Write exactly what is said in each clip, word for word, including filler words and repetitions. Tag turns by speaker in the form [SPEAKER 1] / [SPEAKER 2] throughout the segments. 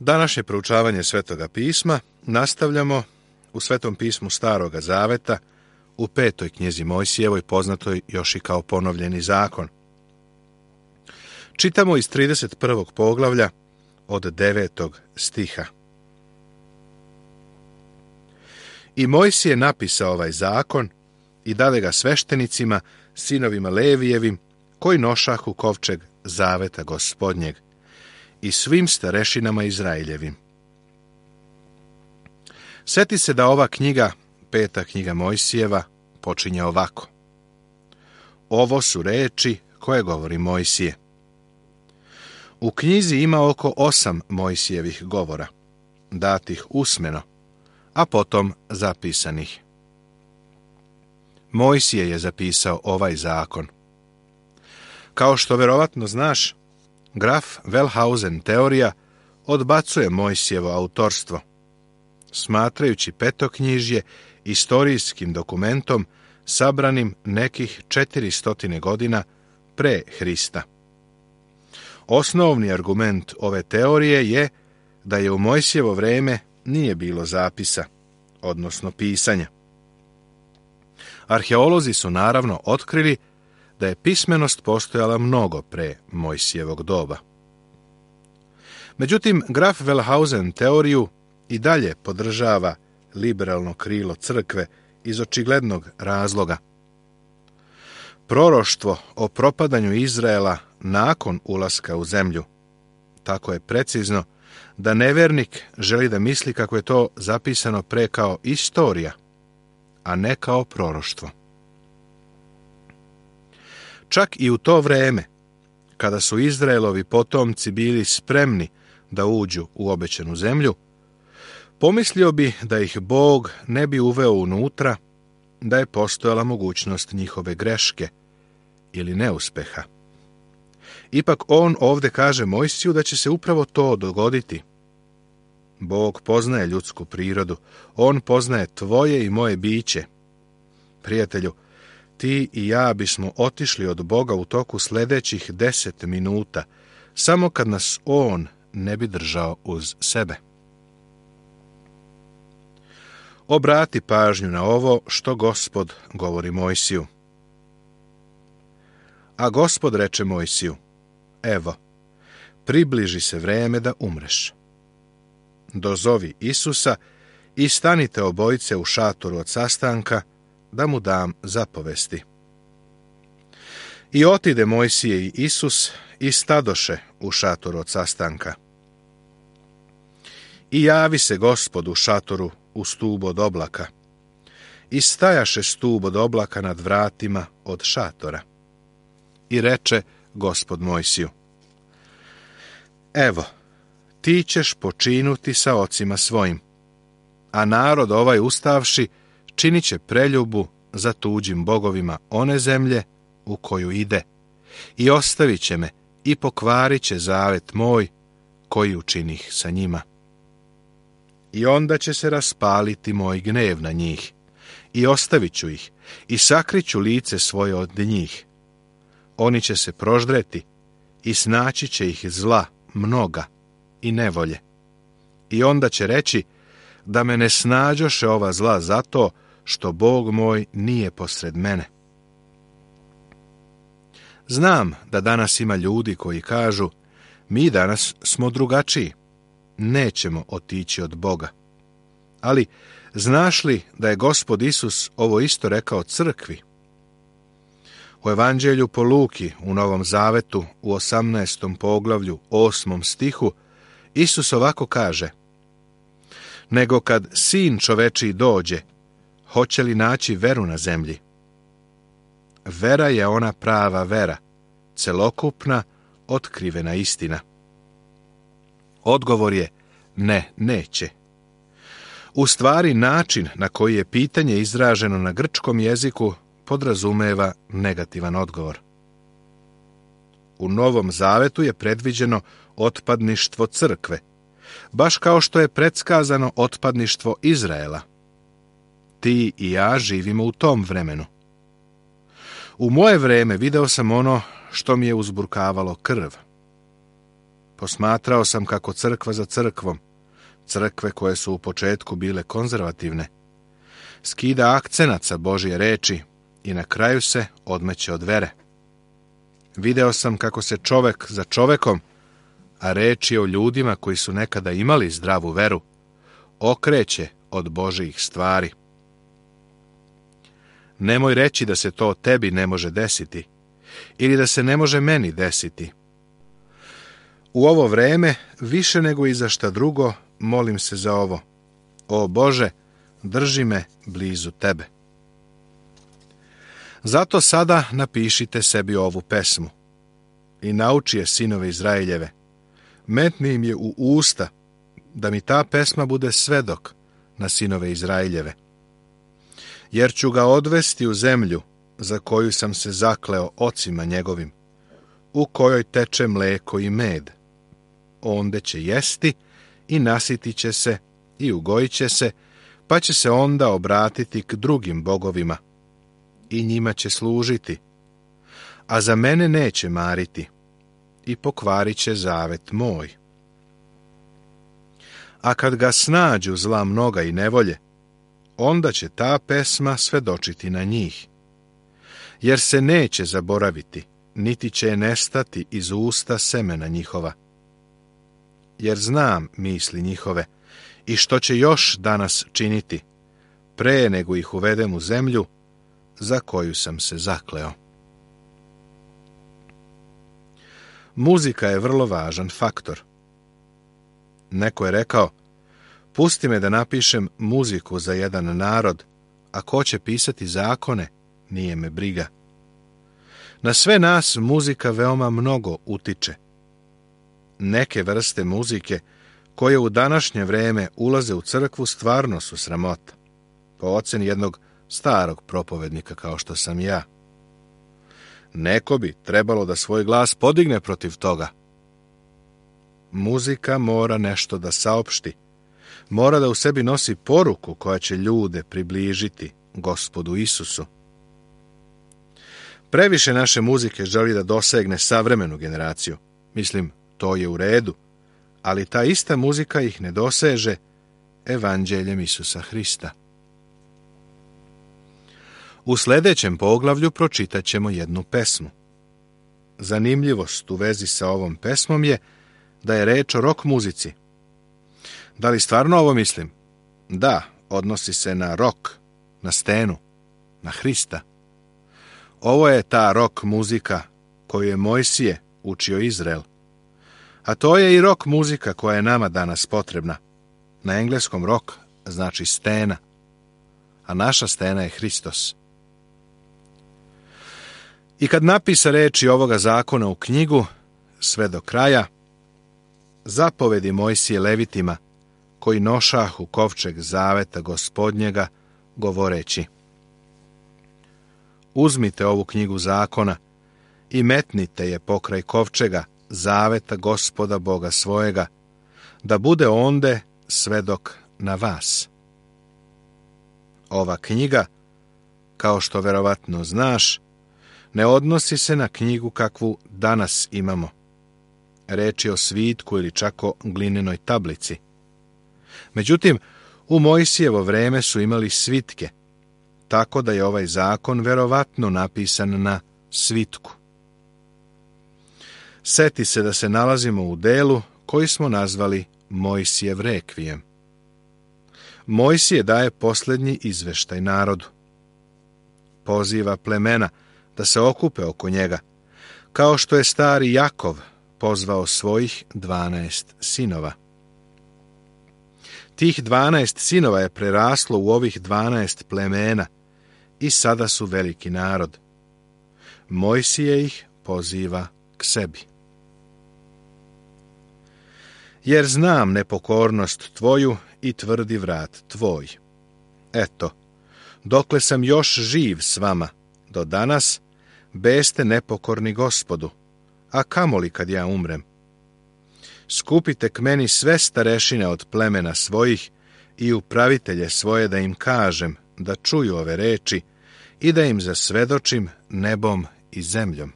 [SPEAKER 1] Današnje proučavanje Svetoga pisma nastavljamo u Svetom pismu Staroga Zaveta u petoj knjizi Mojsijevoj, poznatoj još i kao Ponovljeni zakon. Čitamo iz trideset prvog poglavlja od devetog stiha. I Mojsije napisao ovaj zakon i dade ga sveštenicima, sinovima Levijevim, koji nošahu kovčeg zaveta Gospodnjeg, i svim starešinama Izraeljevim. Sjeti se da ova knjiga, peta knjiga Mojsijeva, počinje ovako. Ovo su reči koje govori Mojsije. U knjizi ima oko osam Mojsijevih govora, datih usmeno, a potom zapisanih. Mojsije je zapisao ovaj zakon. Kao što verovatno znaš, graf Wellhausen teorija odbacuje Mojsijevo autorstvo, smatrajući petoknjižje istorijskim dokumentom sabranim nekih četiristo godina pre Hrista. Osnovni argument ove teorije je da je u Mojsijevo vreme nije bilo zapisa, odnosno pisanja. Arheolozi su naravno otkrili da je pismenost postojala mnogo pre Mojsijevog doba. Međutim, graf Wellhausen teoriju i dalje podržava liberalno krilo crkve iz očiglednog razloga. Proroštvo o propadanju Izraela nakon ulaska u zemlju tako je precizno da nevernik želi da misli kako je to zapisano pre kao istorija, a ne kao proroštvo. Čak i u to vreme, kada su Izraelovi potomci bili spremni da uđu u obećanu zemlju, pomislio bi da ih Bog ne bi uveo unutra, da je postojala mogućnost njihove greške ili neuspeha. Ipak on ovdje kaže Mojsiju da će se upravo to dogoditi. Bog poznaje ljudsku prirodu, on poznaje tvoje i moje biće. Prijatelju, ti i ja bismo otišli od Boga u toku sljedećih deset minuta, samo kad nas on ne bi držao uz sebe. Obrati pažnju na ovo što Gospod govori Mojsiju. A Gospod reče Mojsiju, evo, približi se vreme da umreš. Dozovi Isusa i stanite obojice u šatoru od sastanka, da mu dam zapovesti. I otide Mojsije i Isus i stadoše u šatoru od sastanka. I javi se Gospod u šatoru u stubu od oblaka. I stajaše stub od oblaka nad vratima od šatora. I reče Gospod Mojsiju, evo, ti ćeš počinuti sa ocima svojim, a narod ovaj ustavši činit će preljubu za tuđim bogovima one zemlje u koju ide i ostavit će me i pokvarit će zavet moj koji učinih sa njima. I onda će se raspaliti moj gnev na njih i ostavit ću ih i sakriću lice svoje od njih. Oni će se proždreti i snaći će ih zla mnoga i nevolje. I onda će reći da me ne snađoše ova zla zato što Bog moj nije posred mene. Znam da danas ima ljudi koji kažu, mi danas smo drugačiji, nećemo otići od Boga. Ali znaš li da je Gospod Isus ovo isto rekao crkvi? U Evanđelju po Luki u Novom Zavetu u osamnaestom poglavlju, osmom stihu, Isus ovako kaže, nego kad sin čovečiji dođe, hoće li naći veru na zemlji? Vera je ona prava vera, celokupna, otkrivena istina. Odgovor je, ne, neće. U stvari, način na koji je pitanje izraženo na grčkom jeziku podrazumeva negativan odgovor. U Novom Zavetu je predviđeno otpadništvo crkve, baš kao što je predskazano otpadništvo Izraela. Ti i ja živimo u tom vremenu. U moje vreme video sam ono što mi je uzburkavalo krv. Posmatrao sam kako crkva za crkvom, crkve koje su u početku bile konzervativne, skida akcenat sa Božje reči i na kraju se odmeće od vere. Video sam kako se čovek za čovekom, a reč je o ljudima koji su nekada imali zdravu veru, okreće od Božjih stvari. Nemoj reći da se to tebi ne može desiti ili da se ne može meni desiti. U ovo vreme, više nego i za šta drugo, molim se za ovo. O Bože, drži me blizu tebe. Zato sada napišite sebi ovu pesmu i nauči je sinove Izraeljeve. Metni im je u usta, da mi ta pesma bude svedok na sinove Izraeljeve. Jer ću ga odvesti u zemlju za koju sam se zakleo ocima njegovim, u kojoj teče mleko i med. Onde će jesti i nasiti će se i ugojit će se, pa će se onda obratiti k drugim bogovima i njima će služiti, a za mene neće mariti i pokvarit će zavet moj. A kad ga snađu zla mnoga i nevolje, onda će ta pesma svedočiti na njih, jer se neće zaboraviti, niti će nestati iz usta semena njihova. Jer znam misli njihove i što će još danas činiti, pre nego ih uvedem u zemlju za koju sam se zakleo. Muzika je vrlo važan faktor. Neko je rekao, pusti me da napišem muziku za jedan narod, a ko će pisati zakone, nije me briga. Na sve nas muzika veoma mnogo utiče. Neke vrste muzike koje u današnje vreme ulaze u crkvu stvarno su sramota, po oceni jednog starog propovednika kao što sam ja. Neko bi trebalo da svoj glas podigne protiv toga. Muzika mora nešto da saopšti, mora da u sebi nosi poruku koja će ljude približiti Gospodu Isusu. Previše naše muzike želi da dosegne savremenu generaciju. Mislim, to je u redu, ali ta ista muzika ih ne doseže evanđeljem Isusa Hrista. U sljedećem poglavlju pročitat ćemo jednu pesmu. Zanimljivost u vezi sa ovom pesmom je da je reč o rock muzici. Da li stvarno ovo mislim? Da, odnosi se na rock, na stenu, na Hrista. Ovo je ta rock muzika koju je Mojsije učio Izrael. A to je i rock muzika koja je nama danas potrebna. Na engleskom rock znači stena, a naša stena je Hristos. I kad napisa reči ovoga zakona u knjigu, sve do kraja, zapovedi Mojsije Levitima, koji nošahu kovčeg zaveta Gospodnjega, govoreći: uzmite ovu knjigu zakona i metnite je pokraj kovčega zaveta Gospoda Boga svojega, da bude onde svedok na vas. Ova knjiga, kao što verovatno znaš, ne odnosi se na knjigu kakvu danas imamo. Reč je o svitku ili čak o glinenoj tablici. Međutim, u Mojsijevo vreme su imali svitke, tako da je ovaj zakon verovatno napisan na svitku. Seti se da se nalazimo u delu koji smo nazvali Mojsijev rekvijem. Mojsije daje posljednji izveštaj narodu. Poziva plemena da se okupe oko njega, kao što je stari Jakov pozvao svojih dvanaest sinova. Tih dvanaest sinova je preraslo u ovih dvanaest plemena i sada su veliki narod. Mojsije ih poziva k sebi. Jer znam nepokornost tvoju i tvrdi vrat tvoj. Eto, dokle sam još živ s vama, do danas, beste nepokorni Gospodu, a kamoli kad ja umrem. Skupite k meni sve starešine od plemena svojih i upravitelje svoje da im kažem da čuju ove reči i da im zasvedočim nebom i zemljom.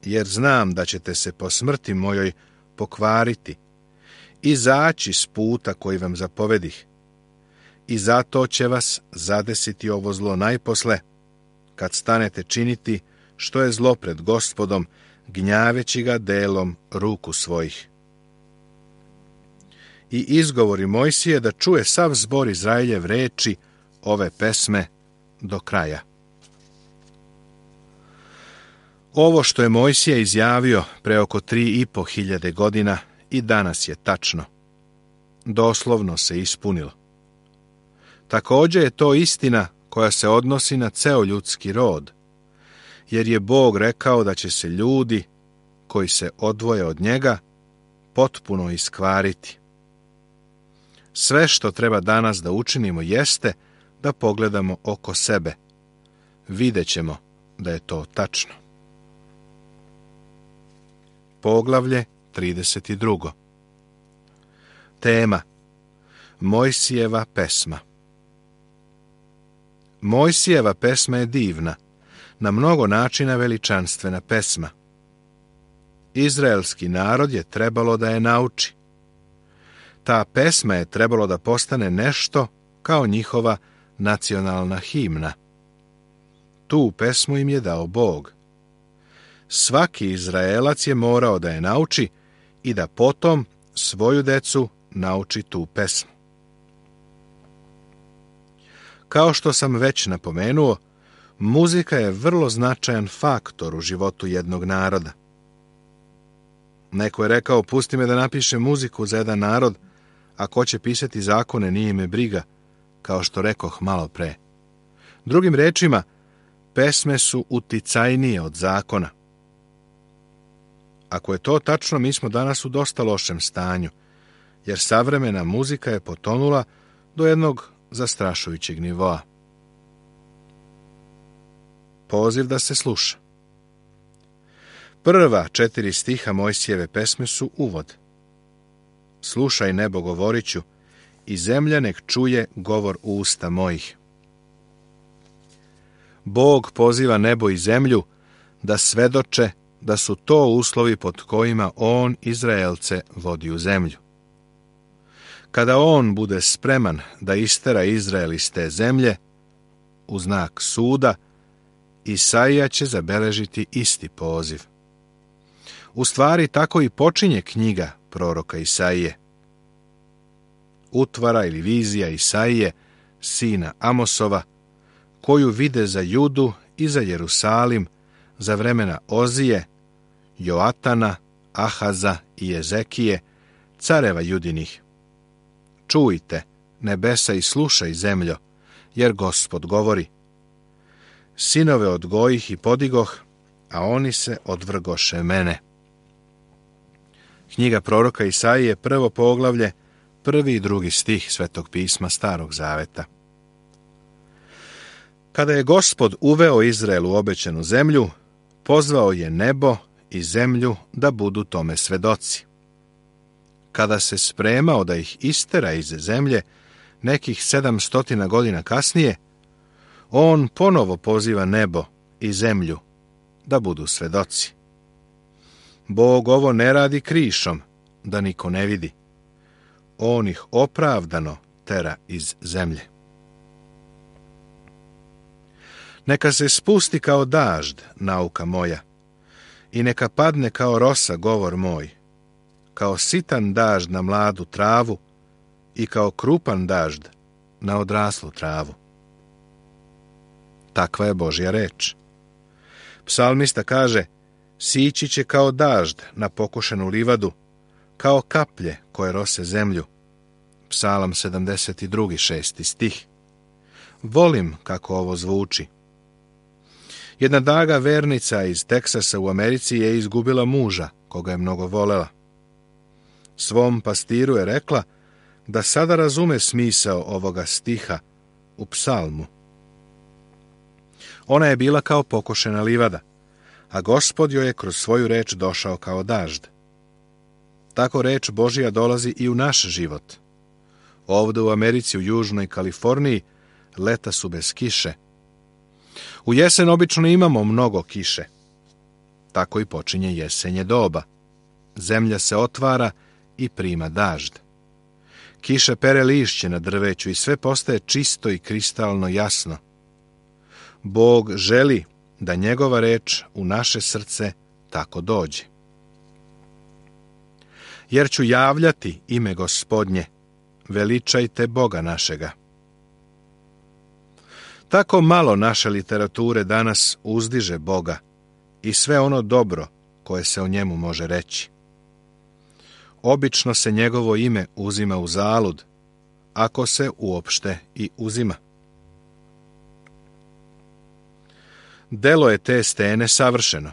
[SPEAKER 1] Jer znam da ćete se po smrti mojoj pokvariti, izaći s puta koji vam zapovedih. I zato će vas zadesiti ovo zlo najposle, kad stanete činiti što je zlo pred Gospodom, gnjaveći ga delom ruku svojih. I izgovori Mojsije da čuje sav zbor Izraeljev reči ove pesme do kraja. Ovo što je Mojsije izjavio pre oko tri i po hiljade godina i danas je tačno. Doslovno se ispunilo. Također je to istina koja se odnosi na ceo ljudski rod, jer je Bog rekao da će se ljudi koji se odvoje od njega potpuno iskvariti. Sve što treba danas da učinimo jeste da pogledamo oko sebe. Vidjet ćemo da je to tačno. Poglavlje trideset dva. Tema: Mojsijeva pesma. Mojsijeva pesma je divna, na mnogo načina veličanstvena pesma. Izraelski narod je trebalo da je nauči. Ta pesma je trebalo da postane nešto kao njihova nacionalna himna. Tu pesmu im je dao Bog. Svaki Izraelac je morao da je nauči i da potom svoju decu nauči tu pesmu. Kao što sam već napomenuo, muzika je vrlo značajan faktor u životu jednog naroda. Neko je rekao, pusti me da napišem muziku za jedan narod, a ko će pisati zakone nije me briga, kao što rekoh malo pre. Drugim rečima, pesme su uticajnije od zakona. Ako je to tačno, mi smo danas u dosta lošem stanju, jer savremena muzika je potonula do jednog zastrašujućeg nivoa. Poziv da se sluša. Prva četiri stiha Mojsijeve pesme su uvod. Slušaj, nebo, govorit ću, i zemlja nek čuje govor usta mojih. Bog poziva nebo i zemlju da svedoče da su to uslovi pod kojima on Izraelce vodi u zemlju. Kada on bude spreman da istera Izrael iz te zemlje, u znak suda, Isaija će zabeležiti isti poziv. U stvari, tako i počinje knjiga proroka Isaije. Utvara ili vizija Isaije, sina Amosova, koju vide za Judu i za Jerusalim za vremena Ozije, Joatana, Ahaza i Ezekije, careva Judinih. Čujte, nebesa, i slušaj, zemljo, jer Gospod govori. Sinove odgojih i podigoh, a oni se odvrgoše mene. Knjiga proroka Isaije, prvo poglavlje, prvi i drugi stih Svetog pisma Starog zaveta. Kada je Gospod uveo Izrael u obećanu zemlju, pozvao je nebo i zemlju da budu tome svedoci. Kada se spremao da ih istera iz zemlje, nekih sedamstotina godina kasnije, on ponovo poziva nebo i zemlju da budu svedoci. Bog ovo ne radi krišom, da niko ne vidi. On ih opravdano tera iz zemlje. Neka se spusti kao dažd, nauka moja, i neka padne kao rosa, govor moj, kao sitan dažd na mladu travu i kao krupan dažd na odraslu travu. Takva je Božja reč. Psalmista kaže, sići će kao dažd na pokošenu livadu, kao kaplje koje rose zemlju. Psalam sedamdeset dva, šesti stih. Volim kako ovo zvuči. Jedna daga vernica iz Teksasa u Americi je izgubila muža, koga je mnogo volela. Svom pastiru je rekla da sada razume smisao ovoga stiha u psalmu. Ona je bila kao pokošena livada, a Gospod joj je kroz svoju reč došao kao dažd. Tako reč Božija dolazi i u naš život. Ovde u Americi, u Južnoj Kaliforniji, leta su bez kiše. U jesen obično imamo mnogo kiše. Tako i počinje jesenje doba. zemlja se otvara i prima dažd. Kiša pere lišće na drveću i sve postaje čisto i kristalno jasno. Bog želi da njegova reč u naše srce tako dođe. Jer ću javljati ime Gospodnje, veličajte Boga našega. Tako malo naše literature danas uzdiže Boga i sve ono dobro koje se o njemu može reći. Obično se njegovo ime uzima u zalud, ako se uopšte i uzima. Delo je te stene savršeno,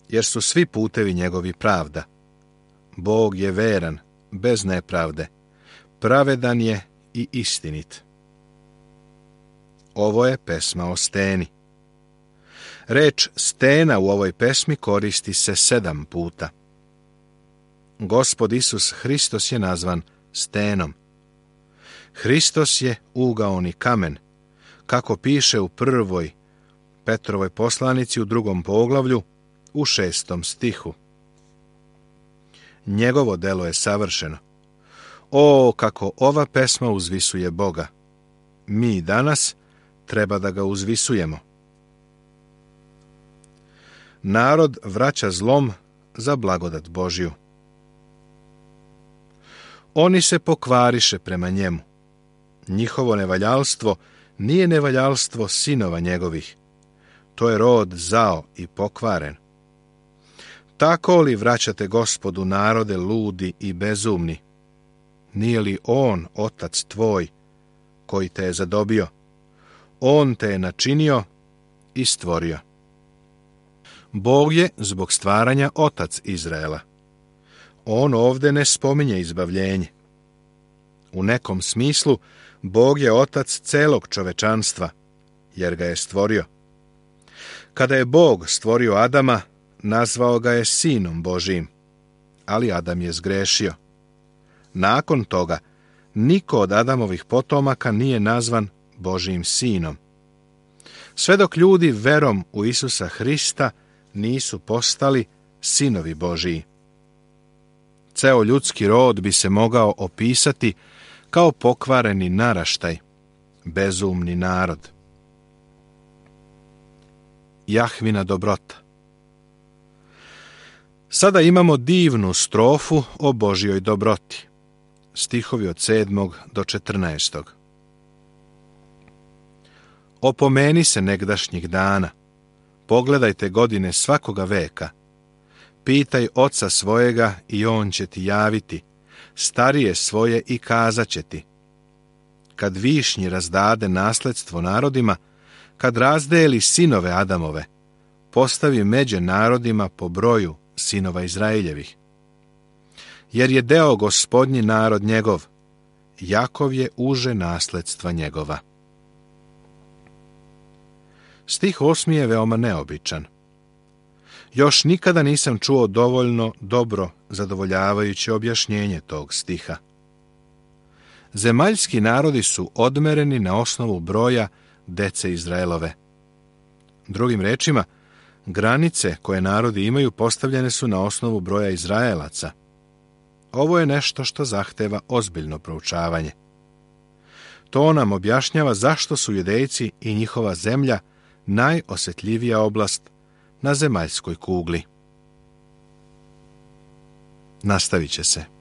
[SPEAKER 1] jer su svi putevi njegovi pravda. Bog je veran, bez nepravde, pravedan je i istinit. Ovo je pesma o steni. Reč stena u ovoj pesmi koristi se sedam puta. Gospod Isus Hristos je nazvan stenom. Hristos je ugaoni kamen, kako piše u prvoj Petrovoj poslanici u drugom poglavlju u šestom stihu. Njegovo delo je savršeno. O, kako ova pesma uzvisuje Boga! Mi danas treba da ga uzvisujemo. Narod vraća zlom za blagodat Božju. Oni se pokvariše prema njemu. Njihovo nevaljalstvo nije nevaljalstvo sinova njegovih. To je rod zao i pokvaren. Tako li vraćate Gospodu narode ludi i bezumni? Nije li on, otac tvoj, koji te je zadobio? On te je načinio i stvorio. Bog je zbog stvaranja otac Izraela. On ovde ne spominje izbavljenje. U nekom smislu, Bog je otac celog čovečanstva, jer ga je stvorio. Kada je Bog stvorio Adama, nazvao ga je sinom Božijim, ali Adam je zgrešio. Nakon toga, niko od Adamovih potomaka nije nazvan Božijim sinom. Sve dok ljudi verom u Isusa Hrista nisu postali sinovi Božiji. Ceo ljudski rod bi se mogao opisati kao pokvareni naraštaj, bezumni narod. Jahvina dobrota. Sada imamo divnu strofu o Božjoj dobroti. Stihovi od sedmog do četrnaestog. Opomeni se negdašnjih dana. Pogledajte godine svakoga veka. Pitaj oca svojega i on će ti javiti, starije svoje i kazat će ti. Kad višnji razdade nasledstvo narodima, kad razdeli sinove Adamove, postavi međe narodima po broju sinova Izraeljevih. Jer je deo Gospodnji narod njegov, Jakov je uže nasledstva njegova. Stih osmi je veoma neobičan. Još nikada nisam čuo dovoljno dobro zadovoljavajuće objašnjenje tog stiha. Zemaljski narodi su odmereni na osnovu broja dece Izraelove. Drugim rečima, granice koje narodi imaju postavljene su na osnovu broja Izraelaca. Ovo je nešto što zahteva ozbiljno proučavanje. To nam objašnjava zašto su Judejci i njihova zemlja najosjetljivija oblast na zemaljskoj kugli. Nastavit će se.